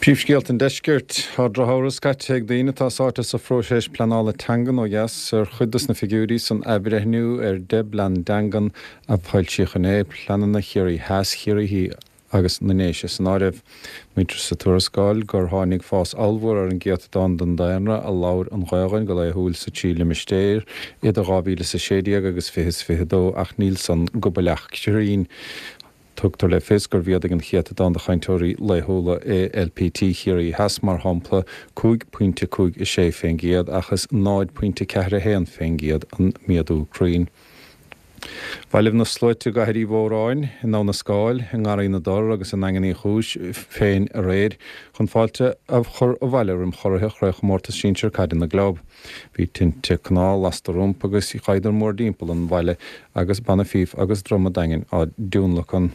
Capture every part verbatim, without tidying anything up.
Príomhscéalta an deiscirt Tá drochamhras caite ag daoine atá sáite sa phróiseas pleanála teangan ó dheas ar chuid de na figiúirí san athbhreithniú ar deich bplean teangan a foilsíodh inné pleananna Chiarraí Theas Chiarraí agus na nDéise san áireamh. Maítear sa tuarascáil gur tháinig fás ollmhór ar an gcéatadán den daonra a labhair an Ghaeilge go laethúil sa trí limistéar idir dhá mhíle is a sé déag agus fiche is fiche dó ach níl san go baileach cruinn. Tugtar le fios gur mhéadaigh an céatadán de chainteoirí laethúla i LPT Chiarraí Theas mar shampla cúig pointe cúig a sé faoin gcéad ach is náid pointe ceathair a haon faoin gcéad an méadú cruinn. Bhailigh na sluaite i gCathair Uí Mhóráin, i nDamh na Scáil, i nGarraí na dTor agus i nDaingean Uí Chúis féin aréir chun fáilte a chur abhaile roimh churaithe Chraobhchomórtas Sinsir Caide na gClub. Bhí tinte cnámh lasta rompu agus ghabhadar mórthimpeall an bhaile agus banna fíf agus druma daingin á dtionlacan.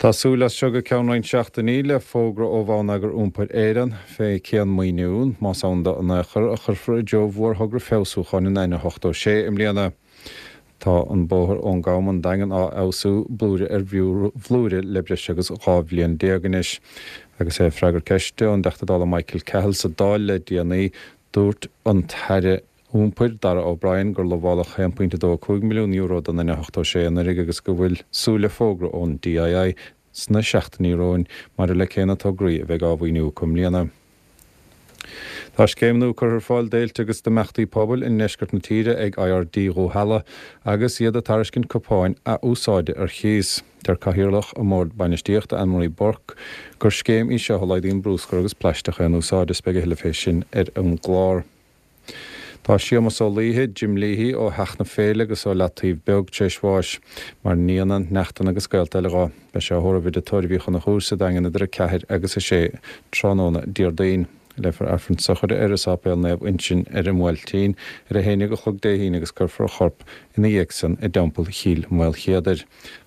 Tá súil as seo go ceann roinnt seachtainí le fógra ó Bhonneagar Iompair Éireann fé cén maoiniú, más ann dó in aon chor, a chuirfear i dtreo mhórthogra feabhsúcháin an N ochtó sé i mbliana. Tá an bóthar ón gCam an Daingean á fheabhsú blúire ar bhlúire le breis agus dhá bhliain déag anois. Agus é ag freagairt ceiste ón dTeachta Dála Michael Cahill sa Dáil le déanaí, dúirt an tAire Iompair Darragh O'Brien gur lamháladh aon pointe dó cúig milliún euro don N ochtó sé anuraidh agus go bhfuil súil le fógra ón DII sna seachtainí romhainn maidir le cé na tograí a bheidh á mhaoiniú acu i mbliana. Tá scéim nua curtha ar fáil d'fhéilte agus d'imeachtaí pobail i ndeisceart na tíre ag IRD Dhúshaile agus iad ag tairiscint cupáin athúsáide ar chíos. Deir Cathaoirleach an Bhord Bainistíochta Anne-Marie Burke gur scéim í seo a laghdaíonn bruscar agus plaisteach aon úsáide is beidh a thuilleadh fé sin ar an gclár. Tá Séamus Ó Laoithe, Jim Leahy ó Theach na Féile agus ó Leataobh Beag tar éis bháis, mar nianna, neachtanna agus gaolta eile dhó. Beidh sé á thórramh i dTigh Tórraimh Uí Chonchúir sa Daingean idir a ceathair agus a sé tráthnóna Déardaoin. Léifear Aifreann sochraide air i Sáipéal Naomh Uinseann ar an mBuailtín ar a haon déag a chlog Dé hAoine agus cuirfear a chorp ina dhiaidh san i dTeampall Chill Mhaoilchéadair.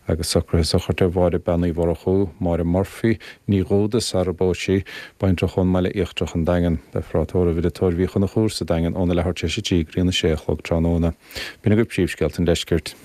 Agus socruithe sochraide Mháire Bean Uí Mhurchú, Máire Murphy, Ní Dhúda sara bpós sí, baintreach ón mBaile Íochtarach an Daingean. Beifear á tórramh i dTigh Tórraimh Uí Chonchúir sa Daingean óna leathuair tar éis a trí go dtí a sé a chlog tráthnóna. B'in agaibh príomhscéalta an deiscirt.